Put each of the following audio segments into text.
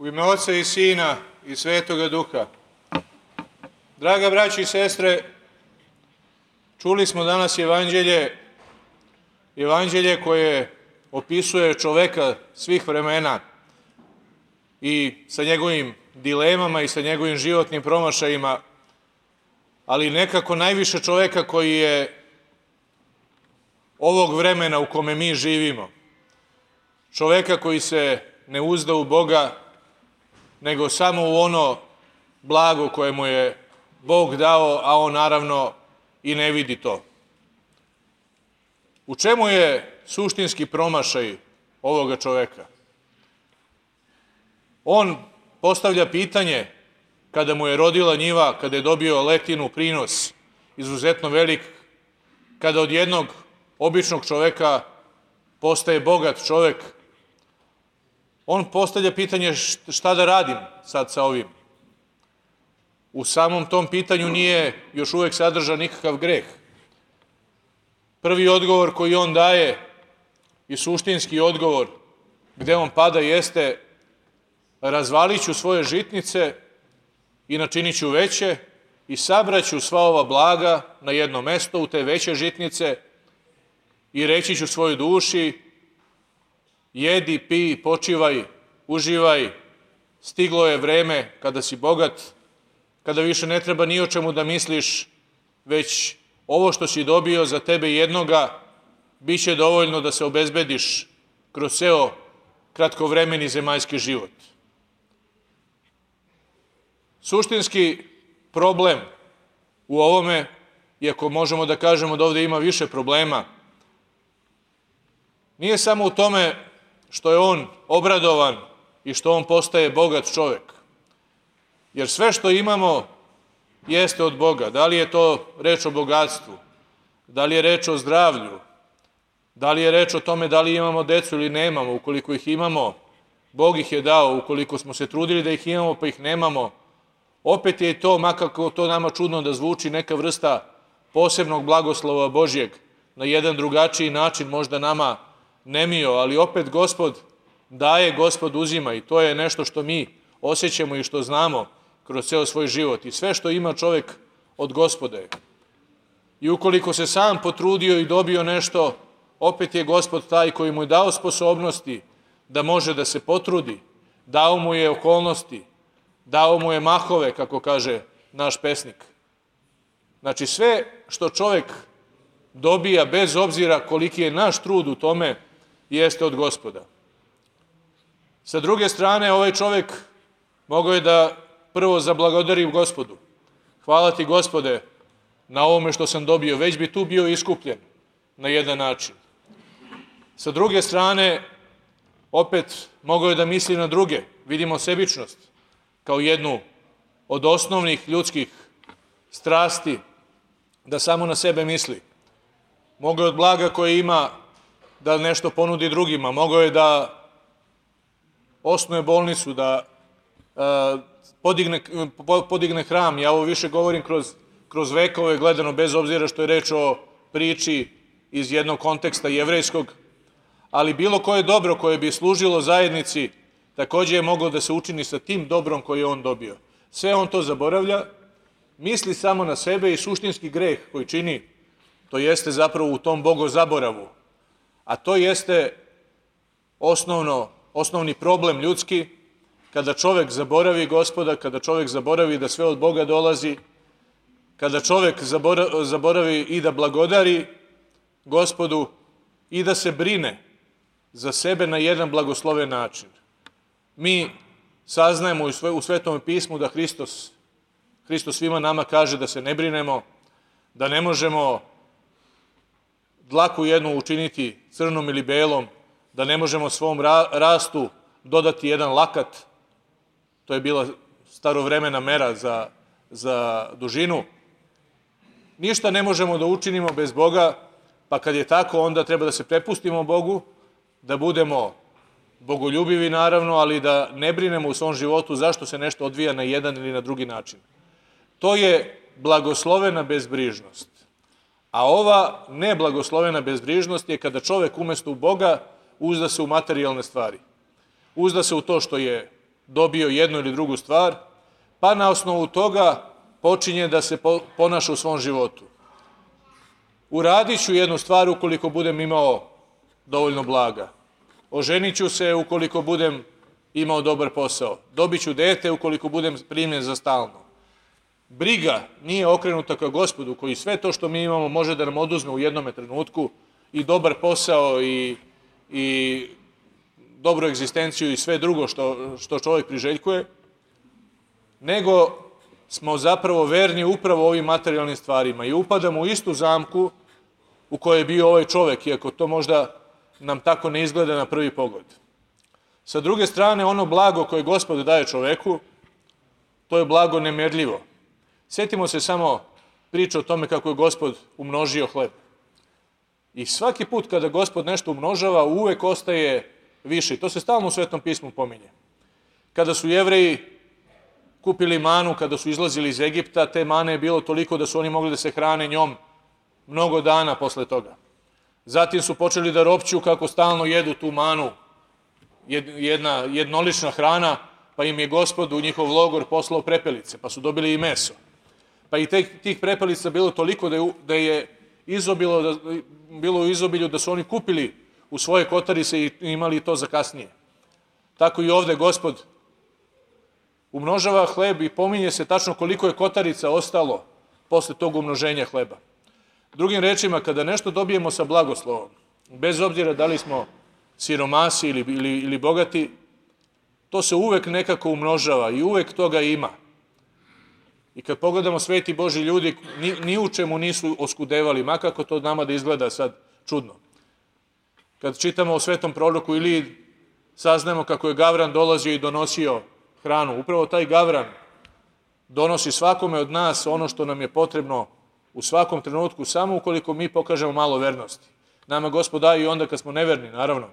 ime Oca i Sina i Svetoga Duha. Draga braći i sestre, čuli smo danas evanđelje koje opisuje čoveka svih vremena i sa njegovim dilemama i sa njegovim životnim promašajima, ali nekako najviše čoveka koji je ovog vremena u kome mi živimo. Čoveka koji se ne uzda u Boga, nego samo u ono blago koje mu je Bog dao, a on naravno i ne vidi to. U čemu je suštinski promašaj ovoga čoveka? On postavlja pitanje kada mu je rodila njiva, kada je dobio letinu, prinos izuzetno velik, kada od jednog običnog čoveka postaje bogat čovek. On postavlja pitanje šta da radim sad sa ovim. U samom tom pitanju nije još uvek sadržan nikakav greh. Prvi odgovor koji on daje i suštinski odgovor gde on pada jeste: razvalit ću svoje žitnice i načinit ću veće i sabraću sva ova blaga na jedno mesto u te veće žitnice i reći ću svojoj duši: jedi, pij, počivaj, uživaj, stiglo je vreme kada si bogat, kada više ne treba ni o čemu da misliš, već ovo što si dobio za tebe jednoga bit će dovoljno da se obezbediš kroz ceo kratkovremeni zemaljski život. Suštinski problem u ovome, iako možemo da kažemo da ovde ima više problema, nije samo u tome što je on obradovan i što on postaje bogat čovek. Jer sve što imamo jeste od Boga. Da li je to reč o bogatstvu, da li je reč o zdravlju, da li je reč o tome da li imamo decu ili nemamo. Ukoliko ih imamo, Bog ih je dao. Ukoliko smo se trudili da ih imamo pa ih nemamo, opet je to, makako to nama čudno da zvuči, neka vrsta posebnog blagoslova Božjeg, na jedan drugačiji način možda nama nemio, ali opet Gospod daje, Gospod uzima, i to je nešto što mi osjećamo i što znamo kroz ceo svoj život. I sve što ima čovek od Gospoda je. I ukoliko se sam potrudio i dobio nešto, opet je Gospod taj koji mu je dao sposobnosti da može da se potrudi, dao mu je okolnosti, dao mu je mahove, kako kaže naš pesnik. Znači sve što čovek dobija, bez obzira koliki je naš trud u tome, jeste od Gospoda. Sa druge strane, ovaj čovek mogao je da prvo zablagodari Gospodu. Hvala ti, Gospode, na ovome što sam dobio. Već bi tu bio iskupljen na jedan način. Sa druge strane, opet mogao je da misli na druge. Vidimo sebičnost kao jednu od osnovnih ljudskih strasti, da samo na sebe misli. Mogao je od blaga koje ima da nešto ponudi drugima. Mogao je da osnuje bolnicu, da podigne hram. Ja ovo više govorim kroz vekove gledano, bez obzira što je reč o priči iz jednog konteksta jevrejskog, ali bilo koje dobro koje bi služilo zajednici takođe je moglo da se učini sa tim dobrom koje je on dobio. Sve on to zaboravlja, misli samo na sebe i suštinski greh koji čini, to jeste zapravo u tom bogozaboravu, a to jeste osnovni problem ljudski, kada čovek zaboravi Gospoda, kada čovek zaboravi da sve od Boga dolazi, kada čovek zaboravi i da blagodari Gospodu i da se brine za sebe na jedan blagosloven način. Mi saznajemo u Svetom pismu da Hristos svima nama kaže da se ne brinemo, da ne možemo dlaku jednu učiniti crnom ili belom, da ne možemo svom rastu dodati jedan lakat. To je bila starovremena mera za dužinu. Ništa ne možemo da učinimo bez Boga, pa kad je tako, onda treba da se prepustimo Bogu, da budemo bogoljubivi naravno, ali da ne brinemo u svom životu zašto se nešto odvija na jedan ili na drugi način. To je blagoslovena bezbrižnost. A ova neblagoslovena bezbrižnost je kada čovek umesto u Boga uzda se u materijalne stvari. Uzda se u to što je dobio jednu ili drugu stvar, pa na osnovu toga počinje da se ponaša u svom životu. Uradit ću jednu stvar ukoliko budem imao dovoljno blaga. Oženit ću se ukoliko budem imao dobar posao. Dobit ću dete ukoliko budem primljen za stalno. Briga nije okrenuta ka Gospodu, koji sve to što mi imamo može da nam oduzme u jednom trenutku, i dobar posao i dobru egzistenciju i sve drugo što čovjek priželjkuje, nego smo zapravo verni upravo ovim materijalnim stvarima i upadamo u istu zamku u kojoj je bio ovaj čovjek, iako to možda nam tako ne izgleda na prvi pogled. Sa druge strane, ono blago koje Gospod daje čoveku, to je blago nemerljivo. Sjetimo se samo priče o tome kako je Gospod umnožio hleb. I svaki put kada Gospod nešto umnožava, uvek ostaje više. To se stalno u Svetom pismu pominje. Kada su Jevreji kupili manu, kada su izlazili iz Egipta, te mane je bilo toliko da su oni mogli da se hrane njom mnogo dana posle toga. Zatim su počeli da ropću kako stalno jedu tu manu, jedna jednolična hrana, pa im je Gospod u njihov logor poslao prepelice, pa su dobili i meso. Pa i tih prepelica bilo toliko da je bilo u izobilju da su oni kupili u svoje kotarice i imali to za kasnije. Tako i ovde Gospod umnožava hleb i pominje se tačno koliko je kotarica ostalo posle tog umnoženja hleba. Drugim rečima, kada nešto dobijemo sa blagoslovom, bez obzira da li smo siromasi ili bogati, to se uvek nekako umnožava i uvek toga ima. I kad pogledamo sveti Božji ljudi, ni u čemu nisu oskudevali, makako to nama da izgleda sad čudno. Kad čitamo o svetom proroku Iliji, saznamo kako je Gavran dolazio i donosio hranu. Upravo taj Gavran donosi svakome od nas ono što nam je potrebno u svakom trenutku, samo ukoliko mi pokažemo malo vernosti. Nama Gospod daje i onda kad smo neverni, naravno,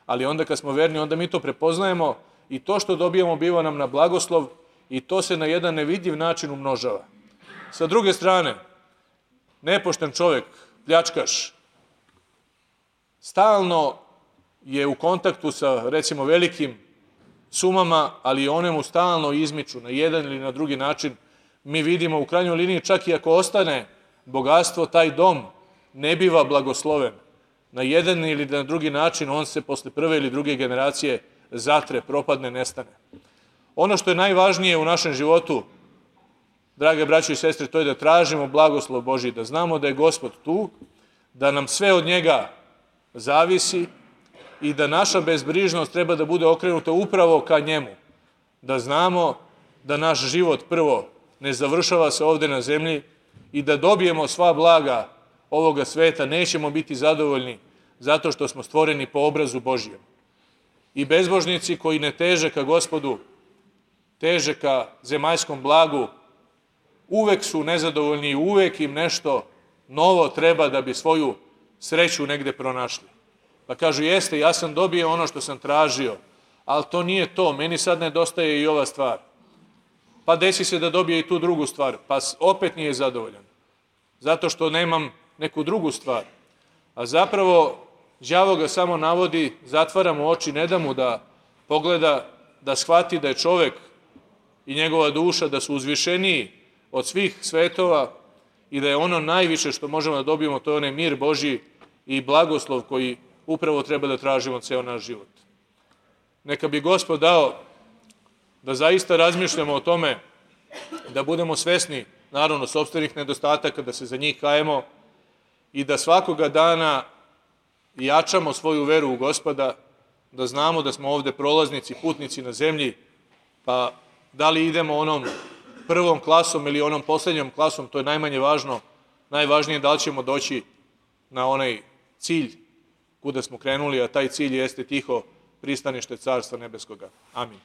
ali onda kad smo verni, onda mi to prepoznajemo i to što dobijamo biva nam na blagoslov i to se na jedan nevidljiv način umnožava. Sa druge strane, nepošten čovjek, pljačkaš, stalno je u kontaktu sa, recimo, velikim sumama, ali one mu stalno izmiču na jedan ili na drugi način. Mi vidimo u krajnjoj liniji, čak i ako ostane bogatstvo, taj dom ne biva blagosloven. Na jedan ili na drugi način on se posle prve ili druge generacije zatre, propadne, nestane. Ono što je najvažnije u našem životu, drage braćo i sestre, to je da tražimo blagoslov Božji, da znamo da je Gospod tu, da nam sve od njega zavisi i da naša bezbrižnost treba da bude okrenuta upravo ka njemu. Da znamo da naš život prvo ne završava se ovde na zemlji i da dobijemo sva blaga ovoga sveta, nećemo biti zadovoljni zato što smo stvoreni po obrazu Božjem. I bezbožnici koji ne teže ka Gospodu, teže ka zemaljskom blagu, uvek su nezadovoljni i uvek im nešto novo treba da bi svoju sreću negde pronašli. Pa kažu, jeste, ja sam dobio ono što sam tražio, ali to nije to, meni sad nedostaje i ova stvar. Pa desi se da dobije i tu drugu stvar, pa opet nije zadovoljan, zato što nemam neku drugu stvar. A zapravo, đavo ga samo navodi, zatvara mu oči, ne da mu da pogleda, da shvati da je čovek i njegova duša, da su uzvišeniji od svih svetova i da je ono najviše što možemo da dobijemo, to je onaj mir Božji i blagoslov koji upravo treba da tražimo ceo naš život. Neka bi Gospod dao da zaista razmišljamo o tome, da budemo svesni, naravno, sopstvenih nedostataka, da se za njih kajemo i da svakoga dana jačamo svoju veru u Gospoda, da znamo da smo ovde prolaznici, putnici na zemlji, pa da li idemo onom prvom klasom ili onom poslednjom klasom, to je najmanje važno. Najvažnije je da li ćemo doći na onaj cilj kuda smo krenuli, a taj cilj jeste tiho pristanište Carstva Nebeskoga. Amin.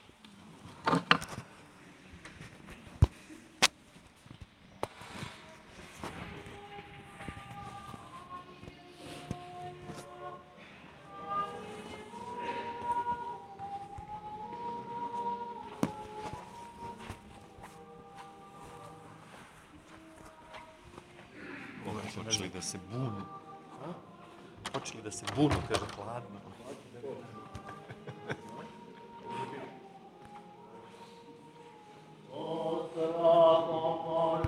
Počeli da se bunu. Počeli da se bunu, kaže, hladno.